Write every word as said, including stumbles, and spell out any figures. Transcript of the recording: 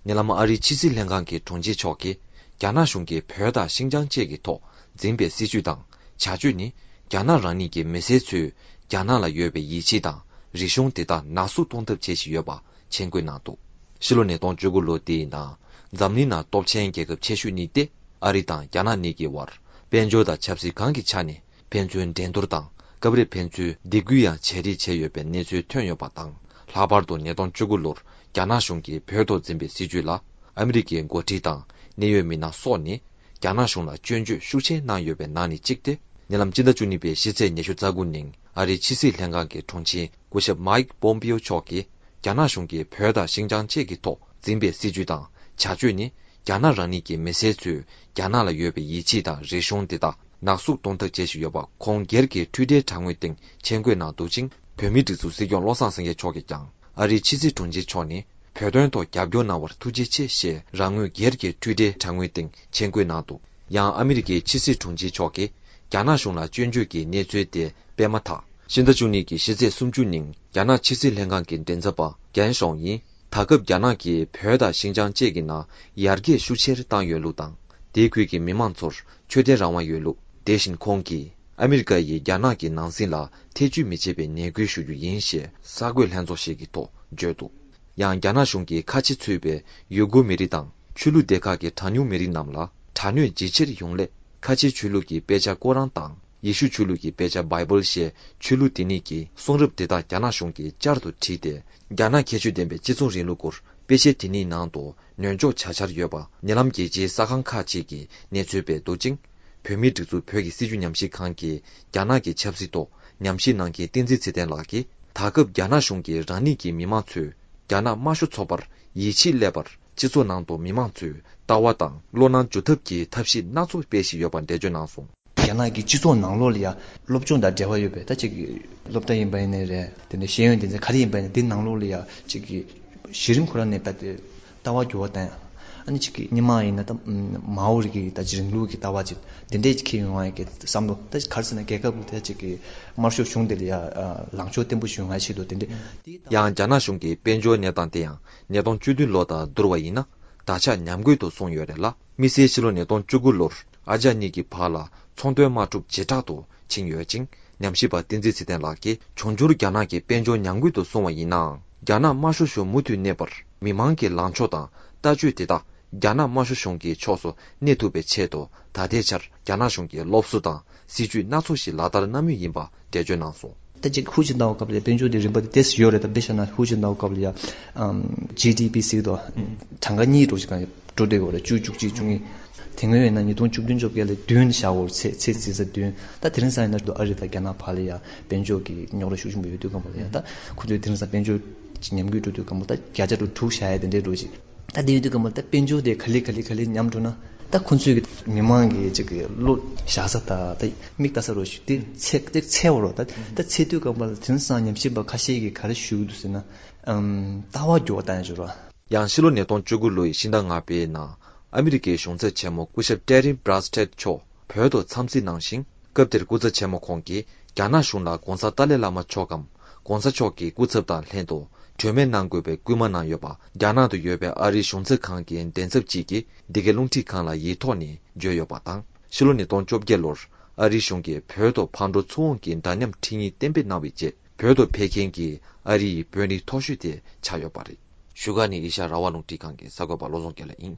ཉེ་ལམ་ཨ་རིའི་ཕྱི་སྲིད་ལྷན་ཁང་གི་དྲུང་ཆེ་མཆོག་གིས། རྒྱ་ནག་གཞུང་གིས་བོད་དང་ཤིན་ཅང་བཅས་ཀྱི་ཐོག་འཛིན་པའི་སྲིད་བྱུས་དང་བྱ་སྤྱོད་ནི། རྒྱ་ནག་རང་ཉིད་ཀྱི་མི་སེར་ཚོས་རྒྱ་ནག་ལ་ཡོད་པའི་ཡིད་ཆེས་དང་རིག་གཞུང་དེ་དག་ནག་གསུག་གཏོང་ཐབས་བྱེད་བཞིན་ཡོད་པ་མཆན་འགོད་གནང་འདུག་ཕྱི་ལོ་ཉིས་སྟོང་བཅུ་དགུ་ལོ་འདིའི་ནང་འཛམ་གླིང་ནང་སྟོབས་ཆེན་རྒྱལ་ཁབ་ཆེ་ཤོས་གཉིས་ཏེ། ཨ་རི་དང་རྒྱ་ནག་གཉིས་ཀྱི་དབར་དཔལ་འབྱོར་དང་ཆབ་སྲིད་གང་གི་ཆ་ནས། ཕན་ཚུན་འགྲན་བསྡུར་དང་སྐབས་རེ་ཕན་ཚུན་སྡིགས་སྐུལ་ཡང་བྱས་རེས་བྱས་ཡོད་པའི་གནས་ཚུལ་ཐོན་ཡོད་པ་དང་། ལྷག་པར་དུ་ཉིས་སྟོང་བཅུ་དགུ་ལོར་རྒྱ་ནག་གཞུང་གིས་བོད་ཐོག་འཛིན་པའི་སྲིད་བྱུས་ལ་ཨ་མི་རི་ཀའི་འགོ་ཁྲིད་དང་གནད་ཡོད་མི་སྣ་སོགས་ནས་རྒྱ་ནག་གཞུང་ལ་སྐྱོན་བརྗོད་ཤུགས་ཆེ་གནང་ཡོད་པའི་ནང་ནས་གཅིག་སྟེ། ཉེ་ལམ་སྤྱི་ཟླ་བཅུ་གཉིས་པའི་ཕྱི་ཚེས་ཉི་ཤུ་རྩ་དགུ་ཉིན་ཨ་རིའི་ཕྱི་སྲིད་ལྷན་ཁང་གི་དྲུང་ཆེ་སྐུ་ཞབས་མཱིག་པོམ་པིའོ་མཆོག་གིས། རྒྱ་ནག་གཞུང་གིས་བོད་དང་ཤིན་ཅང་བཅས་ཀྱི་ཐོག་འཛིན་པའི་སྲིད་བྱུས་དང་བྱ་སྤྱོད་ནི། རྒྱ་ནག་རང་ཉིད་ཀྱི་མི་སེར་ཚོས་རྒྱ་ནག་ལ་ཡོད་པའི་ཡིད་ཆེས་དང་རིག་གཞུང་དེ་དག་ནག་གསུག་གཏོང་ཐབས་བྱེད་བཞིན་ཡོད་པ། ཁོང་སྒེར་གྱི་ཊུའི་ཊར་དྲ་ངོས་སྟེང་མཆན་འགོད་གནང་འདུག་ཅིང་། བོད་མིའི་སྒྲིག་འཛུགས་སྲིད་སྐྱོང་བློ་བཟང་སེང་གེ་མཆོག་གིས་ཀྱང་། ཨ་རིའི་ཕྱི་སྲིད་དྲུང་ཆེ་མཆོག་ནི། བོད་དོན་ཐོག་རྒྱབ་སྐྱོར་གནང་བར་ཐུགས་རྗེ་ཆེ་ཞེས་རང་ངོས་སྒེར་གྱི་ཊུའི་ཊར་དྲ་ངོས་སྟེང་མཆན་འགོད་གནང་འདུག་ཡང་ཨ་མི་རི་ཀའི་ཕྱི་སྲིད་དྲུང་ཆེ་མཆོག་གིས། རྒྱ་ནག་གཞུང་ལ་སྐྱོན་བརྗོད་ཀྱི་གནས་ཚུལ་དེ་སྤེལ་མ་ཐག་ཕྱི་ཟླ་བཅུ་གཉིས་ཀྱི་ཕྱི་ཚེས་སུམ་ཅུ་ཉིན། རྒྱ་ནག་ཕྱི་སྲིད་ལྷན་ཁང་གི་མགྲིན་ཚབ་པ་རྒན་ཤོང་ཡིས། ད་སྐབས་རྒྱ་ནག་གིས་བོད་དང་ཤིན་ཅང་བཅས་ཀྱི་ནང་ཡར་རྒྱས་ཤུགས་ཆེར་བཏང་ཡོད་ལུགས་དང་། དེའི་ཁུལ་གྱི་མི་མང་ཚོར་ཆོས་དད་རང་དབང་ཡོད་ལུགས། དེ་བཞིན་ཁོང་གིས། ཨ་མི་རི་ཀ་ཡིས་རྒྱ་ནག་གི་ནང་སྲིད་ལ་ཐེ་བྱུས་མི་བྱེད་པའི་ནན་སྐུལ་ཞུ་རྒྱུ་ཡིན་ཞེས་གསར་འགོད་ལྷན་ཚོགས་ཤིག་གི་ཐོག་བརྗོད་འདུག་ཡང་རྒྱ་ནག་གཞུང་གིས་ཁ་ཆེ་ཚུད་པའི་ཡུ་གུར་མི་རིགས་དང་ཆོས་ལུགས་སྡེ་ཁག་གི་གྲངས་ཉུང་མི་རིགས་རྣམས་ལ་དྲག་གནོན་ཇེ་ཆེར་ཡོང་སླད། ཁ་ཆེའི་ཆོས་ལུགས་ཀྱི་དཔེ་ཆ་ཀོ་རཱན་དང་། ཡེ་ཤུ་ཆོས་ལུགས་ཀྱི་དཔེ་ཆ་བྷའི་བལ་ཞེས་ཆོས་ལུགས་དེ་གཉིས་ཀྱི་གསུང་རབ་དེ་དག་རྒྱ་ནག་གཞུང་གིས་བསྐྱར་དུ་བྲིས་ཏེ། རྒྱ་ནག་ཁྱད་ཆོས་ལྡན་པའི་སྤྱི་ཚོགས་རིང་ལུགས་སྐོར་དཔེ་ཆ་དེ་གཉིས་ནང་དུ་ནོན་འཇོག་བྱ་འཆར་ཡོད་པ། ཉེ་ལམ་རྒྱལ་སྤྱིའི་གསར་ཁང་ཁག་ཅིག་གིས་གནས་ཚུལ་སྤེལ་འདུག་ཅིང་། བོད་མིའི་སྒྲིག་འཛུགས་བོད་ཀྱི་སྲིད་བྱུས་ཉམས་ཞིབ་ཁང་གི་རྒྱ་ནག་གི་ཆབ་སྲིད་ཐོག་ཉམས་ཞིབ་གནང་མཁན་བསྟན་འཛིན་ཚེ་བརྟན་ལགས་ཀྱིས། ད་སྐབས་རྒྱ་ནག་གཞུང་གིས་རང་ཉིད་ཀྱི་མི་མང་ཚོས་རྒྱ་ནག་དམར་ཤོག་ཚོགས་པར་ཡིད་ཆེས་སླེབས་པར། སྤྱི་ཚོགས་ནང་དུ་མི་མང་ཚོས་ལྟ་བ་དང་བློ་སྣང་འཇུ་ཐབས་ཀྱི་ཐབས་ཤེས་སྣ་ཚོགས་སྤེལ་བཞིན་ཡོད་པ་འགྲེལ་བརྗོད་གནང་སོང་། རྒྱ་ནག་གི་སྤྱི་ཚོགས་ནང་ལོགས་ལ་ཡང་སློབ་སྦྱོང་དང་འབྲེལ་བ་ཡོད་པའི་ད་ཅིག་སློབ་གྲྭ་ཡིན་པ་ཡིན་ནའི་རེད། དེ་འདྲའི་ཤེས་ཡོན་སྡེ་ཚན་ག་རེ་ཡིན་པ་ཡིན་ནའི་དེ་ནང་ལོགས་ལ་ཡང་ཅིག་གི་གཞི་རིམ་ཁོ་རང་ནས་ད་དེ་ལྟ་བ་འགྱུར་བ་བཏང་ཡང་། ཨ་ནི་ཅིག་གི་སྔོན་མ་ཡིན་ན་ད་མའོ་རི་གི་ད་ཅིག་རིང་ལུགས་ཀྱི་ལྟ་བ་ཅིག་དེ་འདྲས་ཅིག་འཁྱེར་ཡོང་བ་ཡིན་གྱི་བསམ་བློ། ད་ག་རེ་ཟེར་ན་རྒྱལ་ཁབ་ལ་ད་ཅིག་གི་དམར་ཤོག་གཞུང་དེ་ལ་ཡང་ལངས་ཕྱོགས་བརྟན་པོ་ཞིག་ཡོང་བའི་ཆེད་དུ་དེ་འདྲས། ཡང་རྒྱ་ནག་གཞུང་གི་དཔལ་འབྱོར་གནས་སྟངས་དེ་ཡང་ཉིས་སྟོང་བཅུ་བདུན་ལོ་དང་བསྡུར་བ་ཡིན་ན། ད་ཆ་ཉམས་རྒུད་དུ་སོང་ཡོད་རེད་ལ། དམིགས་བསལ་ཕྱི་ལོ་ཉིས་སྟོང་བཅུ་དགུ་ལོར་ཨ་རྒྱ་གཉིས་ཀྱི་བར་ལ་ཚོང་དོན་དམག་འཁྲུག་ཇེ་དྲག་ཏུ་ཕྱིན་ཡོད་ཅིང་། ཉམས་ཞིབ་པ་བསྟན་འཛིན་ཚེ་བརྟན་ལགས་ཀྱིས། འབྱུང་འགྱུར་རྒྱ་ནག་གི་དཔལ་འབྱོར་ཉམས་རྒུད་དུ་སོང་བ་ཡིན་ནའང་། རྒྱ་ནག་དམར་ཤོག་གཞུང་མུ་མཐུད་གནས་པར། མི་མང་གི་ལངས་ཕྱོགས་དང་ལྟ་སྤྱོད་དེ་དག་རྒྱ་ནག་དམར་ཤོག་གཞུང་གི་ཕྱོགས་སུ་གནས་ཐུབ་པའི་ཆེད་དུ། ད་ལྟའི་ཆར་རྒྱ་ནག་གཞུང་གིས་སློབ་གསོ་དང་སྲིད་ཇུས་སྣ་ཚོགས་ཤིག་ལག་བསྟར་གནང་མུས་ཡིན་པ་འགྲེལ་བརྗོད་གནང་སོང་། ད་ཅིག་ཧུར་ཅིག་བཏང་བ་སྐབས་ལ་དཔལ་འབྱོར་དེ་རིམ་པ་དེ་ཏོག་ཙམ་ཡོད་རེད། ད་དཔེ་བཞག་ན་ཧུར་ཅིག་བཏང་བ་སྐབས་ལ་ཡ། ཨམ། ཇི་ཌི་པི་ཟེར་གི་འདུག་གྲངས་ཀ་གཉིས་འགྲོ་ཞིག་གང་འགྲོ་བསྡད་ཡོད་རེད། བཅུ་བཅུ་གཅིག་བཅུ་གཉིས། དེ་སྔོན་ཡིན་ན་ཉིས་སྟོང་བཅུ་བདུན་བཅོ་བརྒྱད་ལ་བདུན་བཞག་ཡོད་རེད། ཚེ་ཚེ་འཛིན་ས་བདུན། ད་དེ་རིང་སང་ཡིན་ན་ཨ་རི་དང་རྒྱ་ནག་བར་ལ་ཡ་དཔལ་འབྱོར་གྱི་རྙོག་དྲ་ཤུགས་ཆེན་པོ་ཡོད་དུས་སྒང་པོ་ལ་ཡ། ད་ཁོ་ཚོས་དེ་རིང་སང་དཔལ་འབྱོར་གྱི་ཉམས་རྒུད་འགྲོ་དུས་སྒང་པོ་ད་བརྒྱ་ཆ་དྲུག་དྲུག་བཞག་ཡ་དེ་འདྲའི་འགྲོ་ཞིག་ད་དེ་ཡོད་དུས་སྒང་པོ་ད་དཔལ་འབྱོར་དེ་ག་ལེ་ག་ལེ་ག་ལེ་ཉམས་འགྲོ་ན། ད་ཁོ་ཚོས་ཀྱི་མི་མང་གི་ཅིག་གི་བློ་བཞག་ས་དང་ད་མིག་ལྟ་ས་རོ་ཞིག་དེ་ཚད་དེ་ཚད་འོ་རོ། ད་ད་ཚད་དུས་སྐབས་ལ་དེང་སང་ཉམས་ཞིབ་པ་ཁ་ཤས་ཀྱིས་ག་རེ་ཞུ་གི་འདུག་ཟེར་ན། ཨམ། ལྟ་བ་འགྱུར་བ་བཏང་ཡ་ཅིག་རོ། ཡང་ཕྱི་ལོ་ཉིས་སྟོང་བཅུ་དགུ་ལོའི་ཕྱི་ཟླ་ལྔ་པའི་ནང་ཨ་མི་རི་ཀའི་གཞུང་ཚབ་ཆེན་མོ་སྐུ་ཞབས་ཀྲེ་རི་བྷ་ར་སི་ཊེད་མཆོག་བོད་དུ་འཚམས་གཟིགས་གནང་ཞིང་། སྐབས་དེར་སྐུ་ཚབ་ཆེན་མོ་ཁོང་གིས་རྒྱ་ནག་གཞུང་ལ་༧གོང་ས་ཏཱ་ལའི་བླ་མ་མཆོག་གམ་༧གོང་ས་མཆོག་གི་སྐུ་ཚབ་དང་ལྷན་དུ་གྲོས་མོལ་གནང་དགོས་པའི་སྐུལ་མ་གནང་ཡོད་པ། རྒྱ་ནག་ཏུ་ཡོད་པའི་ཨ་རིའི་གཞུང་ཚབ་ཁང་གི་མགྲིན་ཚབ་ཅིག་གིས་འདི་གའི་རླུང་འཕྲིན་ཁང་ལ་ཡིག་ཐོག་ནས་བརྗོད་ཡོད་པ་དང་། ཕྱི་ལོ་ཉིས་སྟོང་བཅོ་བརྒྱད་ལོར་ཨ་རིའི་གཞུང་གིས་བོད་དུ་ཕར་འགྲོ་ཚུར་འོང་གི་འདྲ་མཉམ་ཁྲིམས་ཡིག་གཏན་འབེབས་གནང་བའི་རྗེས། བོད་དུ་ཕེབས་མཁན་གྱི་ཨ་རི་ཡི་དཔོན་རིགས་མཐོ་ཤོས་དེ་ཆགས་ཡོད་པ་རེད། བཞུགས་སྒར་ནས་ཨེ་ཤ་ཡ་རང་དབང་རླུང་འཕྲིན་ཁང་གི་གསར་འགོད་པ་བློ་བཟང་དགེ་ལེགས་ཡིན།